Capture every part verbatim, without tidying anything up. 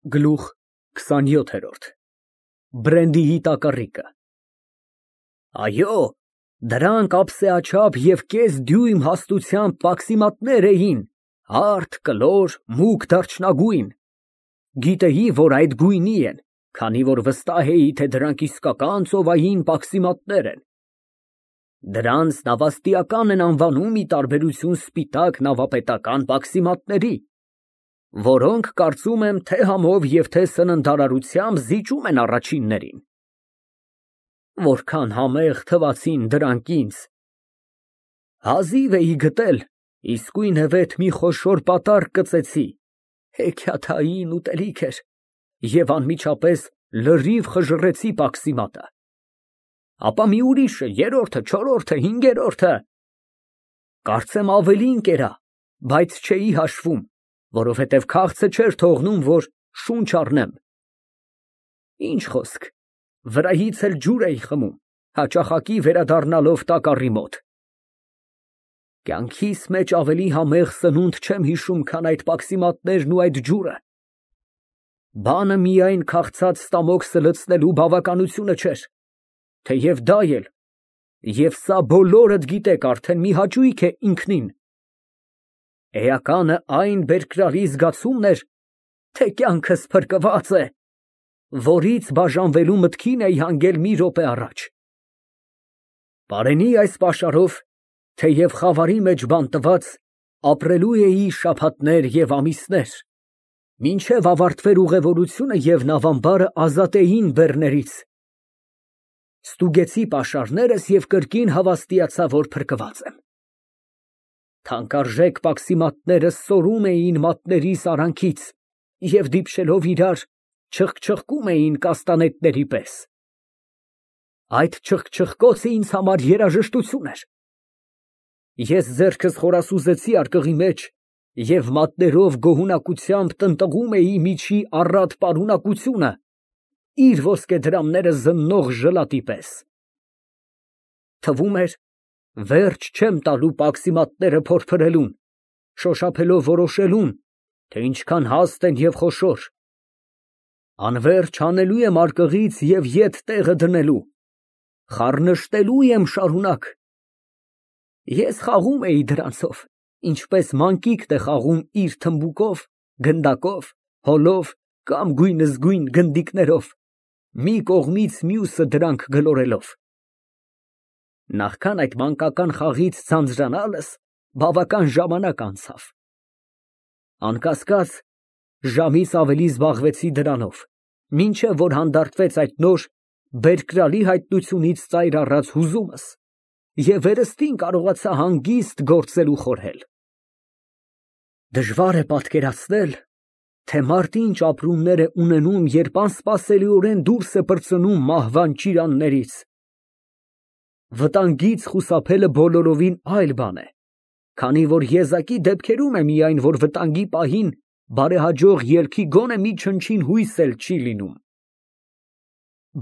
Գլուխ քսանյոթ։ Բրենդիի տակառիկը։ Այո, դրանք ափսեաչափ և կես դյույմ հաստությամբ պաքսիմատներ էին, հարթ, կլոր, մուգ դարչնագույն, գիտեի, որ այդ գույնի են, քանի որ վստահ էի, թե դրանք իսկական ծովային պաքսիմատներ են։ Դրանց նավաստիական են անվանում, ի տարբերություն սպիտակ նավապետական պաքսիմատների, որոնք, կարծում եմ, թե համով և թե սննդարարությամբ զիջում են առաջիններին։ Որքան համեղ թվացին դրանք ինձ։ Հազիվ էի գտել, իսկույնևեթ մի խոշոր պատառ կծեցի, հեքիաթային ուտելիք էր, և անմիջապես լրիվ խժռեցի պաքսիմատը։ Ապա մի ուրիշը, երրորդը, չորրորդը, հինգերորդը… Կարծեմ ավելին կերա, բայց չէի հաշվում, որովհետև քաղցը չէր թողնում, որ շունչ առնեմ։ Ինչ խոսք, վրայից էլ ջուր էի խմում, հաճախակի վերադառնալով տակառի մոտ։ Կյանքիս մեջ ավելի համեղ սնունդ չեմ հիշում, քան այդ պաքսիմատներն ու այդ ջուրը։ Բանը միայն քաղցած ստամոքսը լցնելու բավականությունը չէր, թեև դա էլ, և սա բոլորդ գիտեք արդեն, մի հաճույք է ինքնին։ Էականը այն բերկրալի զգացումն էր, թե կյանքս փրկված է, որից բաժանվելու մտքին էի հանգել մի րոպե առաջ։ Պարենի այս պաշարով, թեև խավարի մեջ բանտված, ապրելու էի շաբաթներ և ամիսներ, մինչև ավարտվեր ուղևորությունը և նավամբարը ազատեին բեռներից։ Ստուգեցի պաշարներս և կրկին հավաստիացա, որ փրկված եմ։ Թանկարժեք պաքսիմատներս սորում էին մատներիս արանքից և դիպչելով իրար, չխկչխկում էին կաստանետների պես։ Այդ չխկչխկոցը ինձ համար երաժշտություն էր։ Ես ձեռքս խորասուզեցի արկղի մեջ և մատներով գոհունակությամբ տնտղում էի միջի առատ պարունակությունը, իր ոսկեդրամները զննող ժլատի պես։ Թվում էր, վերջ չեմ տալու պաքսիմատները փորփրելուն, շոշափելով որոշելուն, թե ինչքան հաստ են և խոշոր։ Անվերջ հանելու եմ արկղից և ետ տեղը դնելու, խառնշտելու եմ շարունակ։ Ես խաղում էի դրանցով, ինչպես մանկիկն է խաղում իր թմբուկով, գնդակով, հոլով կամ գույնզգույն գնդիկներով, մի կողմից մյուսը դրանք գլորելով։ Նախքան այդ մանկական խաղից ձանձրանալս բավական ժամանակ անցավ։ Անկասկած, ժամից ավելի զբաղվեցի դրանով, մինչև որ հանդարտվեց այդ նոր, բերկրալի հայտնությունից ծայր առած հուզումս, և վերստին կարողացա հանգիստ գործել ու խորհել։ Դժվար է պատկերացնել, թե մարդ ինչ ապրումներ է ունենում, երբ անսպասելիորեն դուրս է պրծնում մահվան ճիրաններից։ Վտանգից խուսափելը բոլորովին այլ բան է, քանի որ եզակի դեպքերում է միայն, որ վտանգի պահին բարեհաջող ելքի գոնե մի չնչին հույս էլ չի լինում։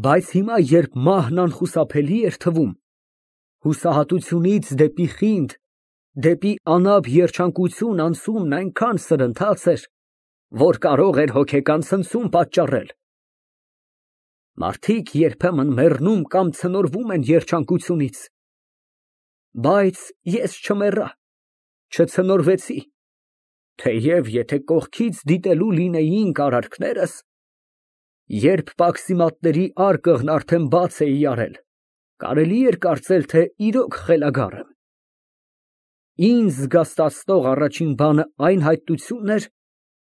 Բայց հիմա, երբ մահն անխուսափելի էր թվում, հուսահատությունից դեպի խինդ, դեպի անապ երջանկություն անցումն այնքան սրընթաց էր, որ կարող էր հոգեկան ցնցում պատճառել։ Մարդիկ երբեմն մեռնում կամ ցնորվում են երջանկությունից, բայց ես չմեռա, չցնորվեցի, թեև եթե կողքից դիտելու լինեինք արարքներս, երբ պաքսիմատների արկղն արդեն բաց էի արել, կարելի էր կարծել, թե իրոք խելագար եմ։ Ինձ զգաստացնող առաջին բանը այն հայտնությունն էր,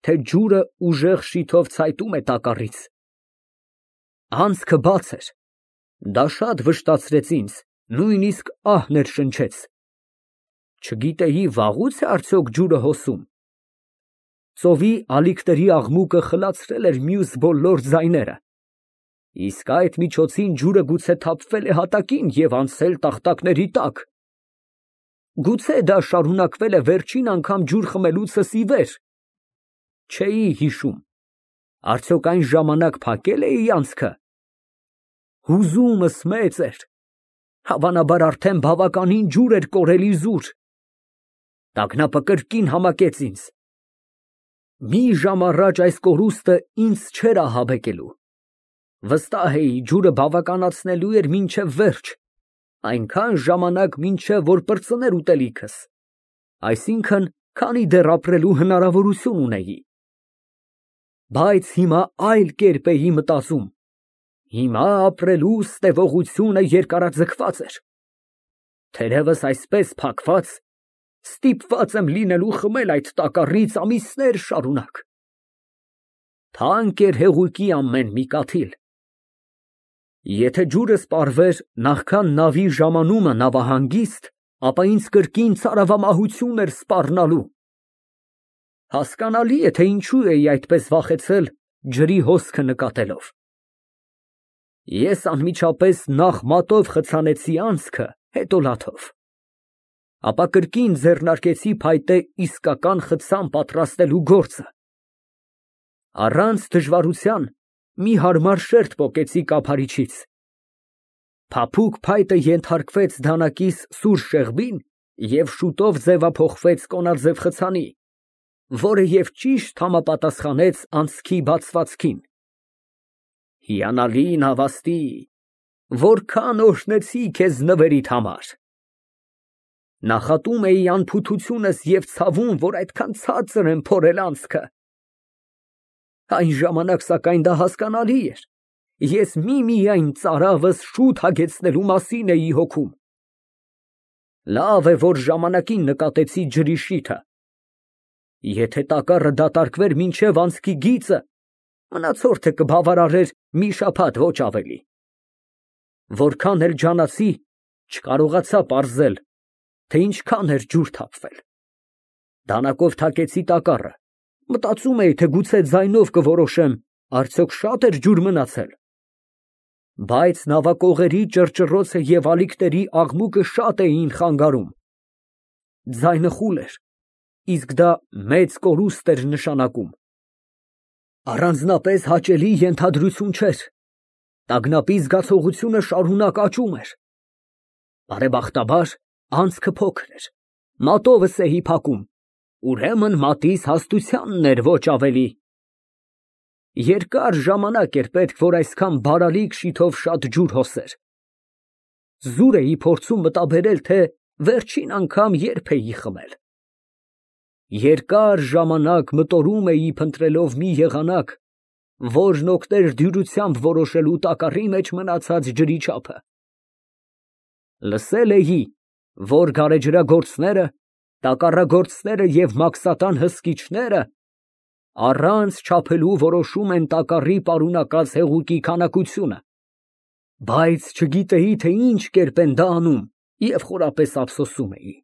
թե ջուրը ուժեղ շիթով ցայտում է տակառից։ Անցքը բաց էր, դա շատ վշտացրեց ինձ, նույնիսկ ահ ներշնչեց։ Չգիտեի վաղուց է արդյոք ջուրը հոսում։ Ծովի ալիքների աղմուկը խլացրել էր մյուս բոլոր ձայները, իսկ այդ միջոցին ջուրը գուցե թափվել է հատակին և անցել տախտակների տակ։ Գուցե դա շարունակվել է վերջին անգամ ջուր խմելուցս ի վեր։ Չէի հիշում, արդյոք այն ժամանակ փակել էի անցքը։ Հուզումս մեծ էր, հավանաբար արդեն բավականին ջուր էր կորել իզուր։ Տագնապը կրկին համակեց ինձ։ Մի ժամ առաջ այս կորուստը ինձ չէր ահաբեկելու։ Վստահ էի, ջուրը բավականացնելու էր մինչև վերջ, այնքան ժամանակ, մինչև որ պրծներ ուտելիքս, այսինքն, քանի դեռ ապրելու հնարավորություն ունեի։ Բայց հիմա այլ կերպ էի մտածում։ Հիմա ապրելու ստևողությունը երկարաձգված էր։ Թերևս այսպես փակված, ստիպված եմ լինելու խմել այդ տակառից ամիսներ շարունակ։ Թանկ էր հեղուկի ամեն մի կաթիլ։ Եթե ջուրը սպառվեր նախքան նավի ժամանումը նավահանգիստ, ապա ինձ կրկին ցարավամահություն էր սպառնալու։ Հասկանալի է, թե ինչու էի այդպես վախեցել ջրի հոսքը նկատելով։ Ես անմիջապես նախ մատով խցանեցի անցքը, հետո լաթով։ Ապա կրկին ձեռնարկեցի փայտե իսկական խցան պատրաստելու գործը։ Առանց դժվարության մի հարմար շերտ պոկեցի կափարիչից։ Փափուկ փայտը ենթարկվեց դանակիս սուր շեղբին և շուտով ձևափոխվեց կոնաձև խցանի, որը և ճիշտ համապատասխանեց անցքի բացվածքին։ Հիանալի նավաստի, որքան օրհնեցի քեզ նվերիդ համար։ Նախատում էի անփութությունս և ցավում, որ այդքան ցածր եմ փորել անցքը։ Այն ժամանակ, սակայն, դա հասկանալի էր, ես միմիայն ծարավս շուտ հագեցնելու մասին էի հոգում։ Լավ է, որ ժամանակին նկատեցի ջրի շիթը։ Եթե տակառը դատարկվեր մինչև անցքի գիծը, մնացորդը կբավարարեր մի շաբաթ, ոչ ավելի։ Որքան էլ ջանացի, չկարողացա պարզել, թե ինչքան էր ջուր թափվել։ Դանակով թակեցի տակառը, մտածում էի, թե գուցե ձայնով կորոշեմ, արդյոք շատ էր ջուր մնացել։ Բայց նավակողերի ճռճռոցը և ալիքների աղմուկը շատ էին խանգարում։ Ձայնը խուլ էր, իսկ դա մեծ կորուստ էր նշանակում։ Առանձնապես հաճելի ենթադրություն չէր։ Տագնապի զգացողությունը շարունակ աճում էր։ Բարեբախտաբար, անցքը փոքր էր, մատովս էի փակում, ուրեմն մատիս հաստությանն էր, ոչ ավելի։ Երկար ժամանակ էր պետք, որ այսքան բարալիկ շիթով շատ ջուր հոսեր։ Զուր էի փորձում մտաբերել, թե վերջին անգամ երբ էի խմել։ Երկար ժամանակ մտորում էի փնտրելով մի եղանակ, որն օգներ դյուրությամբ որոշելու տակառի մեջ մնացած ջրի չափը։ Լսել էի, որ գարեջրագործները, տակառագործները և մաքսատան հսկիչները առանց չափելու որոշում են տակառի պարունակած հեղուկի քանակությունը, բայց չգիտեի, թե ինչ կերպ են դա անում և խորապես ափսոսում էի։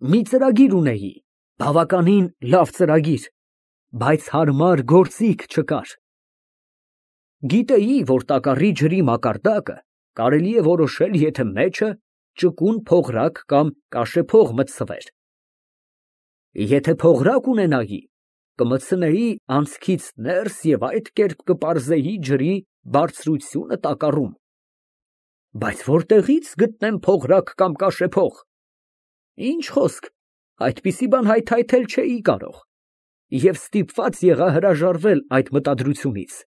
Մի ծրագիր ունեի, բավականին լավ ծրագիր, բայց հարմար գործիք չկար։ Գիտեի, որ տակառի ջրի մակարդակը կարելի է որոշել, եթե մեջը ճկուն փողրակ կամ կաշեփող մտցվեր։ Եթե փողրակ ունենայի, կմտցնեի անցքից ներս և այդ կերպ կպարզեի ջրի բարձրությունը տակառում։ Բայց որտեղի՞ց գտնեմ փողրակ կամ կաշեփող։ Ինչ խոսք, այդպիսի բան հայթայթել չէի կարող և ստիպված եղա հրաժարվել այդ մտադրությունից։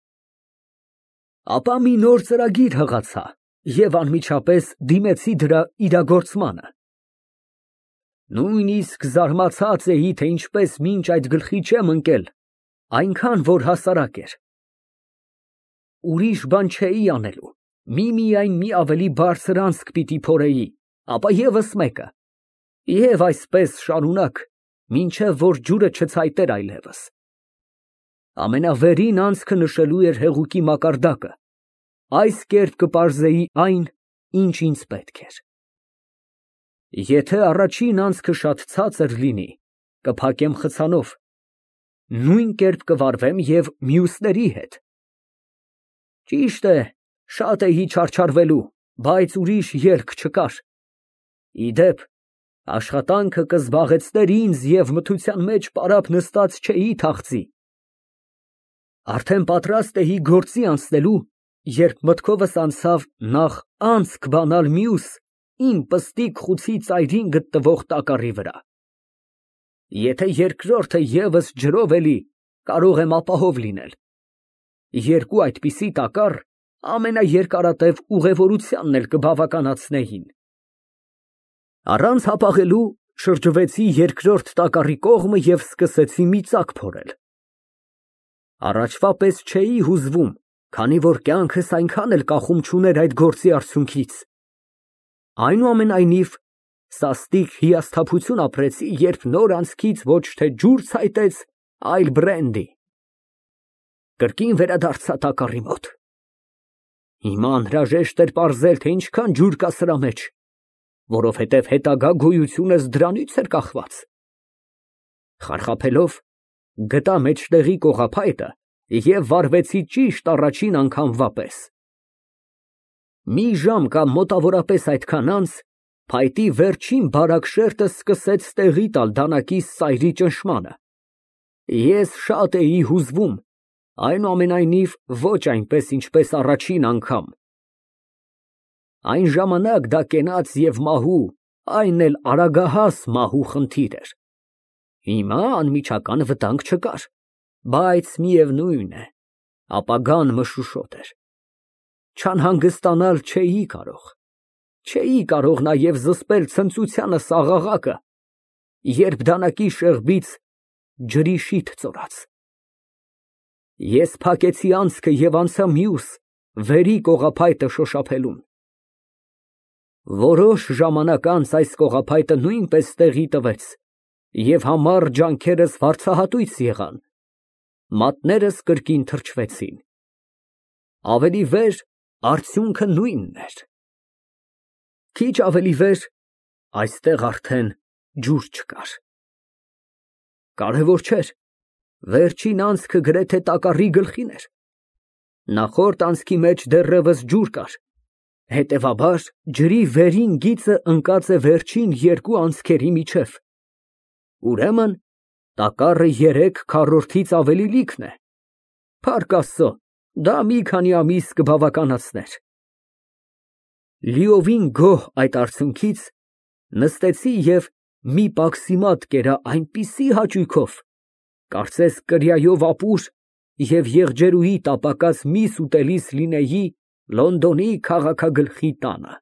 Ապա մի նոր ծրագիր հղացա և անմիջապես դիմեցի դրա իրագործմանը։ Նույնիսկ զարմացած էի, թե ինչպես մինչ այդ գլխի չեմ ընկել, այնքան, որ հասարակ էր։ Ուրիշ բան չէի անելու, միմիայն մի ավելի բարձր անցք պիտի փորեի, ապա ևս մեկը, և այսպես շարունակ, մինչև որ ջուրը չցայտեր այլևս։ Ամենավերին անցքը նշելու էր հեղուկի մակարդակը, այս կերպ կպարզեի այն, ինչ ինձ պետք էր։ Եթե առաջին անցքը շատ ցածր լինի, կփակեմ խցանով, նույն կերպ կվարվեմ և մյուսների հետ։ Ճիշտ է, շատ էի չարչարվելու, բայց ուրիշ ելք չկար։ Ի դեպ, աշխատանքը կզբաղեցներ ինձ և մթության մեջ պարապ նստած չէի թախծի։ Արդեն պատրաստ էի գործի անցնելու, երբ մտքովս անցավ նախ անցք բանալ մյուս, իմ պստիկ խուցի ծայրին գտնվող տակառի վրա։ Եթե երկրորդը ևս ջրով էլի, կարող եմ ապահով լինել։ Երկու այդպիսի տակառ ամենաերկարատև ուղևորությանն էլ կբավականացնեին։ Առանց հապաղելու շրջվեցի երկրորդ տակառի կողմը և սկսեցի մի ծակ փորել։ Առաջվա պես չէի հուզվում, քանի որ կյանքս այնքան էլ կախում չուներ այդ գործի արդյունքից։ Այնուամենայնիվ, սաստիկ հիասթափություն ապրեցի, երբ նոր անցքից ոչ թե ջուր ցայտեց, այլ բրենդի։ Կրկին վերադարձա տակառի մոտ։ Հիմա անհրաժեշտ էր պարզել, թե ինչքան ջուր կա սրա մեջ, որովհետև հետագա գոյությունս դրանից էր կախված։ Խարխափելով, գտա մեջտեղի կողափայտը և վառվեցի ճիշտ առաջին անգամվա պես։ Մի ժամ կամ մոտավորապես այդքան անց փայտի վերջին բարակ շերտը սկսեց տեղի տալ դանակիս սայրի ճնշմանը։ Ես շատ էի հուզվում, այնուամենայնիվ ոչ այնպես, ինչպես առաջին անգամ։ Այն ժամանակ դա կենաց և մահու, այն էլ արագահաս մահու խնդիր էր։ Հիմա անմիջական վտանգ չկար, բայց միևնույն է, ապագան մշուշոտ էր։ Չանհանգստանալ չէի կարող, չէի կարող նաև զսպել ցնծությանս աղաղակը, երբ դանակի շեղբից ջրի շիթ ծորաց։ Ես փակեցի անցքը և անցա մյուս, վերի կողափայտը շոշափելուն։ Որոշ ժամանակ անց այս կողափայտը նույնպես տեղի տվեց, և համառ ջանքերս վարձահատույց եղան, մատներս կրկին թրջվեցին։ Ավելի վեր արդյունքը նույնն էր։ Քիչ ավելի վեր այստեղ արդեն ջուր չկար։ Կարևոր չէր, վերջին անցքը գրեթե տակառի գլխին էր։ Նախորդ անցքի մեջ դեռևս ջուր կար, հետևաբար ջրի վերին գիծը ընկած է վերջին երկու անցքերի միջև։ Ուրեմն տակառը երեք քառորդից ավելի լիքն է։ Փառք Աստծո, դա մի քանի ամիս կբավականացներ։ Լիովին գոհ այդ արդյունքից, նստեցի և մի պաքսիմատ կերա այնպիսի հաճույքով, կարծես կրիայով ապուր և եղջերուի տապակած միս ուտելիս լինեի Լոնդոնի քաղաքագլխի տանը։